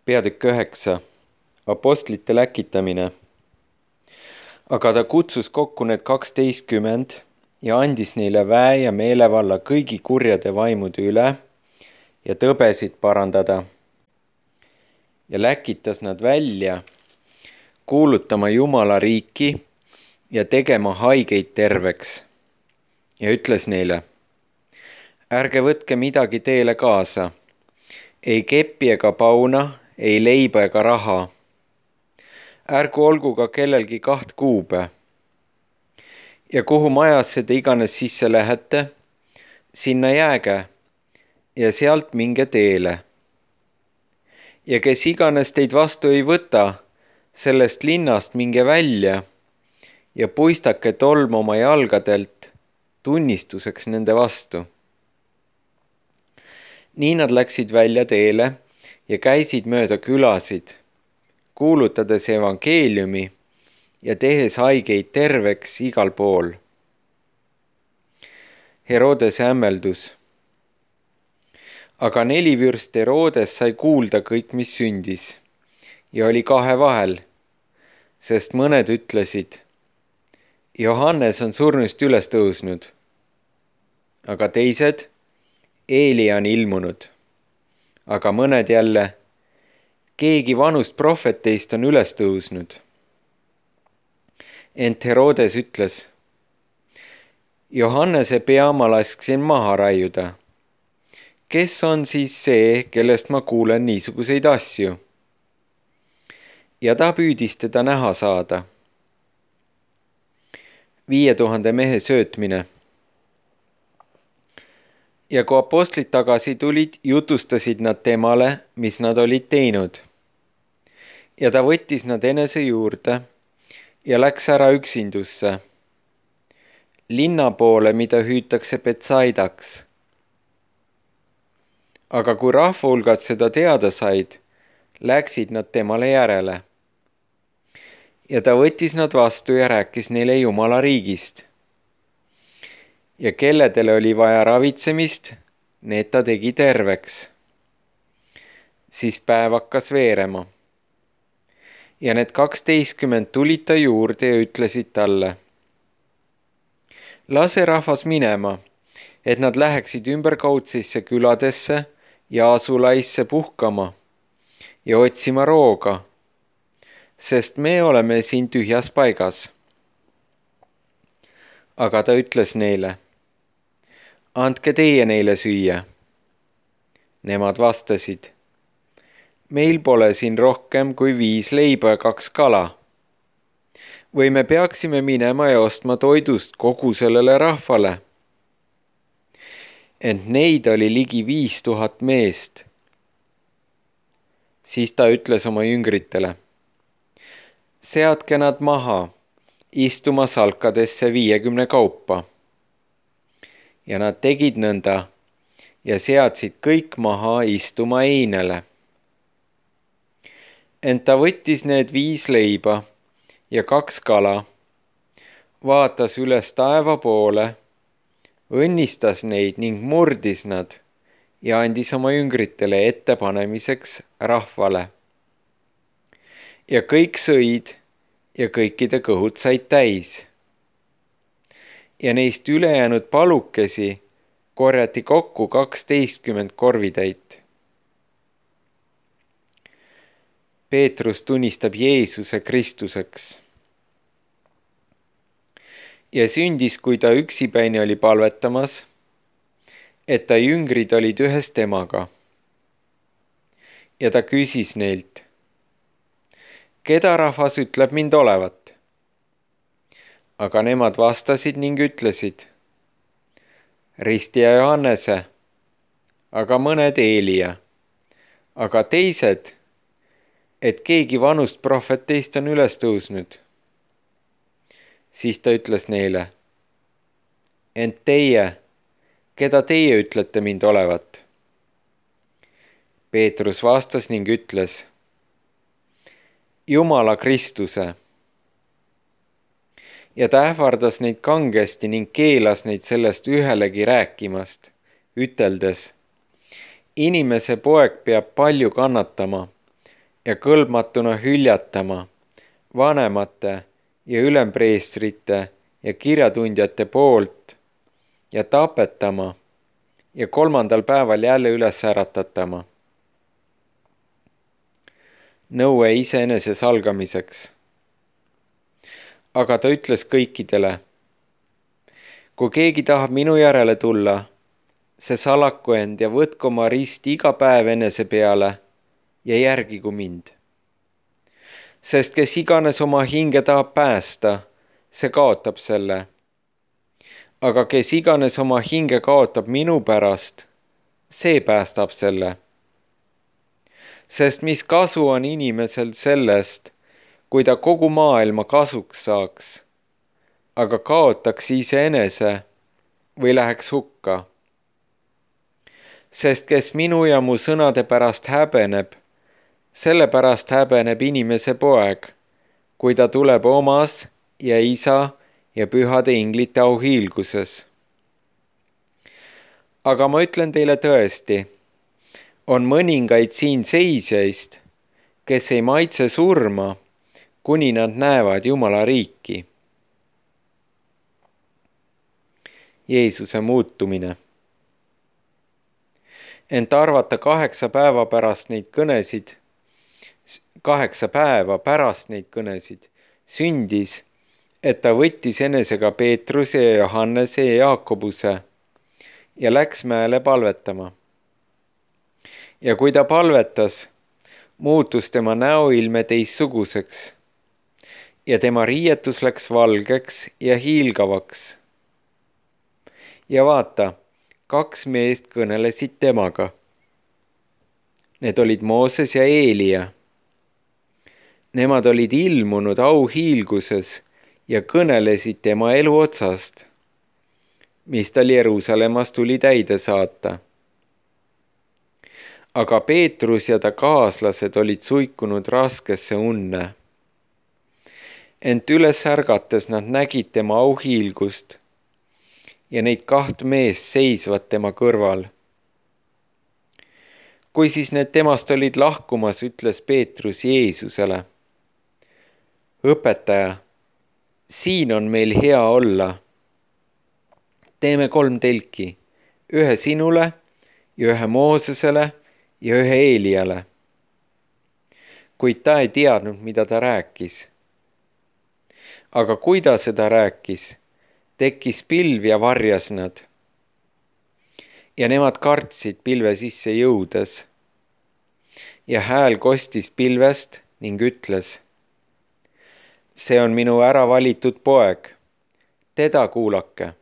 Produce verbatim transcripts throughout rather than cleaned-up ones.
Peatükk üheksa. Apostlite läkitamine. Aga ta kutsus kokku need kaksteistkümmend ja andis neile väe ja meelevalla kõigi kurjade vaimude üle ja tõbesid parandada. Ja läkitas nad välja, kuulutama Jumala riiki ja tegema haigeid terveks. Ja ütles neile, ärge võtke midagi teele kaasa, ei keppi ega pauna, ei leiba ega raha. Ärgu olgu ka kellelgi kaht kuube. Ja kuhu majasse te iganes sisse lähete, sinna jääge ja sealt minge teele. Ja kes iganes teid vastu ei võta, sellest linnast minge välja ja puistake tolm oma jalgadelt tunnistuseks nende vastu. Nii nad läksid välja teele ja käisid mööda külasid, kuulutades evangeeliumi ja tehes haigeid terveks igal pool. Herodese hämmeldus. Aga nelivürst Herodes sai kuulda kõik, mis sündis, ja oli kahe vahel, sest mõned ütlesid, Johannes on surnust üles tõusnud, aga teised, Eelia on ilmunud, aga mõned jälle, keegi vanust prohveteist on üles tõusnud. Ent Herodes ütles, Johannese pea ma lasksin maha raiuda. Kes on siis see, kellest ma kuulen niisuguseid asju? Ja ta püüdis teda näha saada. Viie tuhande mehe söötmine. Ja kui apostlid tagasi tulid, jutustasid nad temale, mis nad olid teinud. Ja ta võttis nad enese juurde ja läks ära üksindusse, linna poole, mida hüütakse Betsaidaks. Aga kui rahva hulgad seda teada said, läksid nad temale järele. Ja ta võttis nad vastu ja rääkis neile Jumala riigist. Ja kelledele oli vaja ravitsemist, need ta tegi terveks. Siis päev hakkas veerema. Ja need kaksteistkümmend tulid ta juurde ja ütlesid talle, lase rahvas minema, et nad läheksid ümberkaudsesse küladesse ja asulaisse puhkama ja otsima rooga, sest me oleme siin tühjas paigas. Aga ta ütles neile, andke teie neile süüa. Nemad vastasid, meil pole siin rohkem kui viis leiba ja kaks kala. Või me peaksime minema ja ostma toidust kogu sellele rahvale. Ent neid oli ligi viis tuhat meest. Siis ta ütles oma jüngritele, seadke nad maha, istuma salkadesse viiekümne kaupa. Ja nad tegid nõnda ja seadsid kõik maha istuma einele. Ent ta võttis need viis leiba ja kaks kala, vaatas üles taeva poole, õnnistas neid ning murdis nad ja andis oma jüngritele ettepanemiseks rahvale. Ja kõik sõid ja kõikide kõhud said täis. Ja neist ülejäänud palukesi korjati kokku kaksteistkümmend korvitäit. Peetrus tunnistab Jeesuse Kristuseks. Ja sündis, kui ta üksipäini oli palvetamas, et ta jüngrid olid ühes temaga. Ja ta küsis neilt, keda rahvas ütleb mind olevat? Aga nemad vastasid ning ütlesid, Ristija Johannese, aga mõned Eelia, aga teised, et keegi vanust prohveteist on üles tõusnud. Siis ta ütles neile, ent teie, keda teie ütlete mind olevat? Peetrus vastas ning ütles, Jumala Kristuse. Ja ta ähvardas neid kangesti ning keelas neid sellest ühelegi rääkimast, üteldes, inimese poeg peab palju kannatama ja kõlbmatuna hüljatama vanemate ja ülempreestrite ja kirjatundjate poolt ja tapetama ja kolmandal päeval jälle üles äratatama. Nõue iseenese salgamiseks. Aga ta ütles kõikidele, kui keegi tahab minu järele tulla, see salaku end ja võtku oma rist iga päev enese peale ja järgigu mind. Sest kes iganes oma hinge tahab päästa, see kaotab selle. Aga kes iganes oma hinge kaotab minu pärast, see päästab selle. Sest mis kasu on inimesel sellest, kui ta kogu maailma kasuks saaks, aga kaotaks iseenese või läheks hukka. Sest kes minu ja mu sõnade pärast häbeneb, sellepärast häbeneb inimese poeg, kui ta tuleb omas ja isa ja pühade inglite auhiilguses. Aga ma ütlen teile tõesti, on mõningaid siin seisjaist, kes ei maitse surma, kuni nad näevad Jumala riiki. Jeesuse muutumine. Ent arvata kaheksa päeva pärast neid kõnesid, kaheksa päeva pärast neid kõnesid, sündis, et ta võttis enesega Peetruse ja Johannese ja Jaakobuse ja läks mäele palvetama. Ja kui ta palvetas, muutus tema näoilme teistsuguseks ja tema riietus läks valgeks ja hiilgavaks. Ja vaata, kaks meest kõnelesid temaga. Need olid Mooses ja Eelia. Nemad olid ilmunud auhiilguses ja kõnelesid tema elu otsast, mis tal Jeruusalemmas tuli täide saata. Aga Peetrus ja ta kaaslased olid suikunud raskesse unne. Ent üles ärgates nad nägid tema auhiilgust ja neid kaht meest seisvad tema kõrval. Kui siis need temast olid lahkumas, ütles Peetrus Jeesusele, õpetaja, siin on meil hea olla. Teeme kolm telki, ühe sinule ja ühe Moosesele ja ühe Eeliale. Kuid ta ei teadnud, mida ta rääkis. Aga kui ta seda rääkis, tekkis pilv ja varjas nad. Ja nemad kartsid pilve sisse jõudes. Ja hääl kostis pilvest ning ütles, see on minu ära valitud poeg, teda kuulake.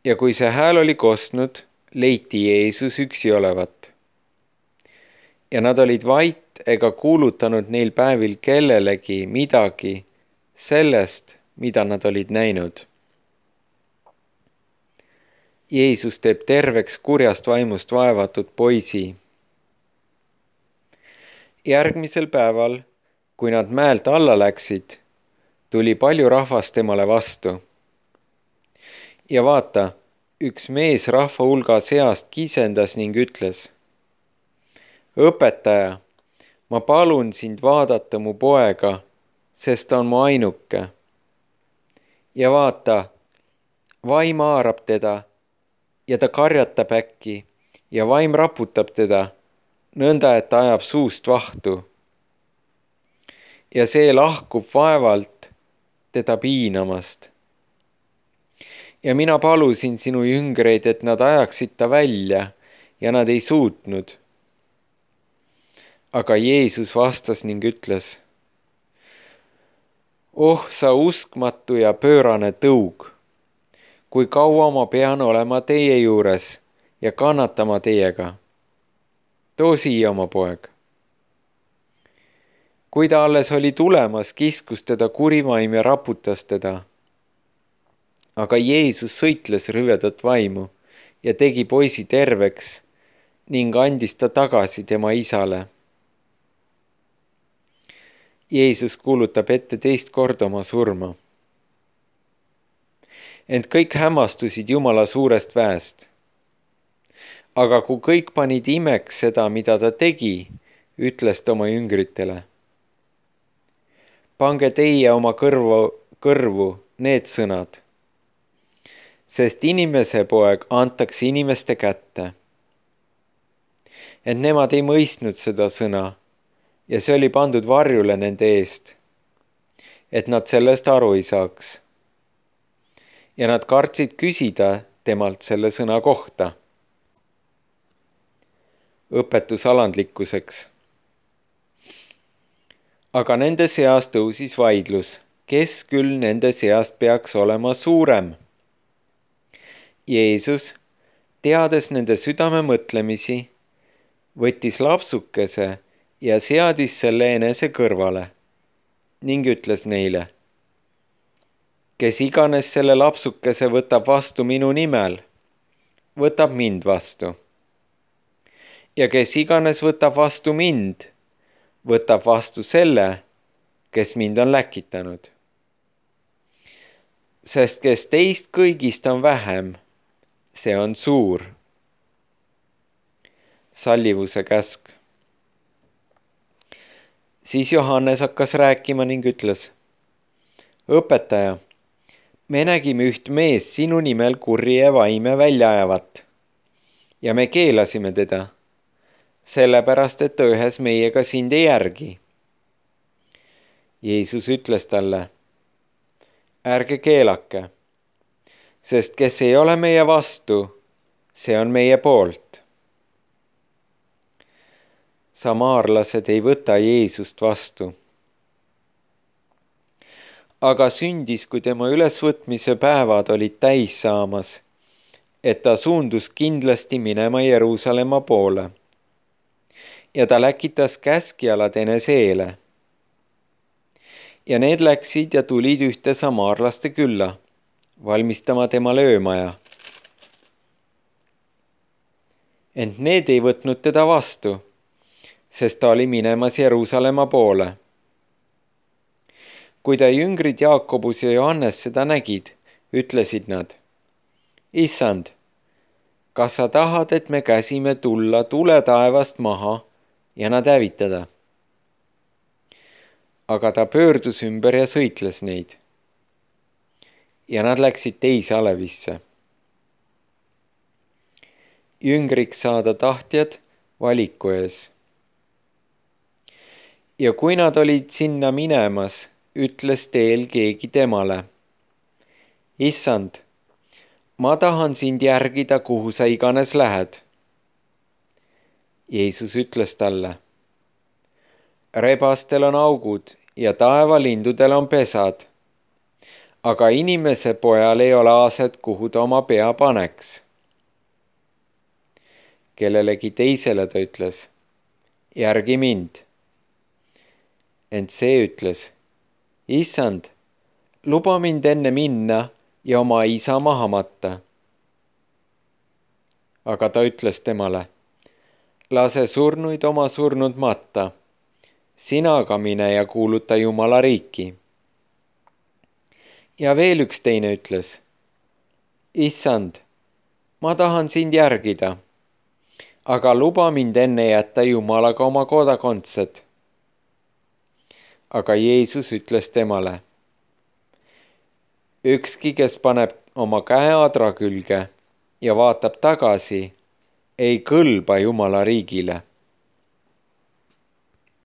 Ja kui see hääl oli kostnud, leiti Jeesus üksi olevat. Ja nad olid vait ega kuulutanud neil päevil kellelegi midagi sellest, mida nad olid näinud. Jeesus teeb terveks kurjast vaimust vaevatud poisi. Järgmisel päeval, kui nad mäelt alla läksid, tuli palju rahvast temale vastu. Ja vaata, üks mees rahva hulga seast kisendas ning ütles, õpetaja, ma palun sind vaadata mu poega, sest ta on mu ainuke. Ja vaata, vaim haarab teda ja ta karjatab äkki ja vaim raputab teda, nõnda et ta ajab suust vahtu. Ja see lahkub vaevalt teda piinamast. Ja mina palusin sinu jüngreid, et nad ajaksid ta välja ja nad ei suutnud. Aga Jeesus vastas ning ütles, oh sa uskmatu ja pöörane tõug, kui kaua ma pean olema teie juures ja kannatama teiega. Too siia oma poeg. Kui ta alles oli tulemas, kiskus teda kurivaim ja raputas teda. Aga Jeesus sõitles rüvedat vaimu ja tegi poisi terveks ning andis ta tagasi tema isale. Jeesus kuulutab ette teist korda oma surma. Ent kõik hämmastusid Jumala suurest väest. Aga kui kõik panid imeks seda, mida ta tegi, ütles ta oma jüngritele. Pange teie oma kõrvu, kõrvu need sõnad, sest inimese poeg antakse inimeste kätte. Et nemad ei mõistnud seda sõna ja see oli pandud varjule nende eest, et nad sellest aru ei saaks. Ja nad kartsid küsida temalt selle sõna kohta. Õpetus alandlikkuseks. Aga nende seas tõusis vaidlus, kes küll nende seast peaks olema suurem. Jeesus, teades nende südame mõtlemisi, võttis lapsukese ja seadis selle enese kõrvale ning ütles neile, kes iganes selle lapsukese võtab vastu minu nimel, võtab mind vastu. Ja kes iganes võtab vastu mind, võtab vastu selle, kes mind on läkitanud. Sest kes teist kõigist on vähem, see on suur. Sallivuse käsk. Siis Johannes hakkas rääkima ning ütles, õpetaja, me nägime üht mees sinu nimel kurje vaime välja ajavat ja me keelasime teda, sellepärast et ta ühes meiega sind ei järgi. Jeesus ütles talle, ärge keelake, sest kes ei ole meie vastu, see on meie poolt. Samaarlased ei võta Jeesust vastu. Aga sündis, kui tema ülesvõtmise päevad olid täis saamas, et ta suundus kindlasti minema Jeruusalemma poole. Ja ta läkitas käskjalad enese eele. Ja need läksid ja tulid ühte samaarlaste külla, valmistama temale öömaja. Ent need ei võtnud teda vastu, sest ta oli minemas Jeruusalemma poole. Kui ta jüngrid Jaakobus ja Johannes seda nägid, ütlesid nad, Issand, kas sa tahad, et me käsime tulla tule taevast maha ja nad hävitada? Aga ta pöördus ümber ja sõitles neid. Ja nad läksid teise alevisse. Jüngriks saada tahtjad valiku ees. Ja kui nad olid sinna minemas, ütles teel keegi temale, Issand, ma tahan sind järgida, kuhu sa iganes lähed. Jeesus ütles talle, rebastel on augud ja taevalindudel on pesad, aga inimese pojal ei ole aaset, kuhu ta oma pea paneks. Kellelegi teisele ta ütles, järgi mind. Ent see ütles, Issand, luba mind enne minna ja oma isa maha matta. Aga ta ütles temale, lase surnuid oma surnud matta, sina aga mine ja kuuluta Jumala riiki. Ja veel üks teine ütles, Issand, ma tahan sind järgida, aga luba mind enne jätta Jumalaga oma kodakondsed. Aga Jeesus ütles temale, ükski, kes paneb oma käe adra külge ja vaatab tagasi, ei kõlba Jumala riigile.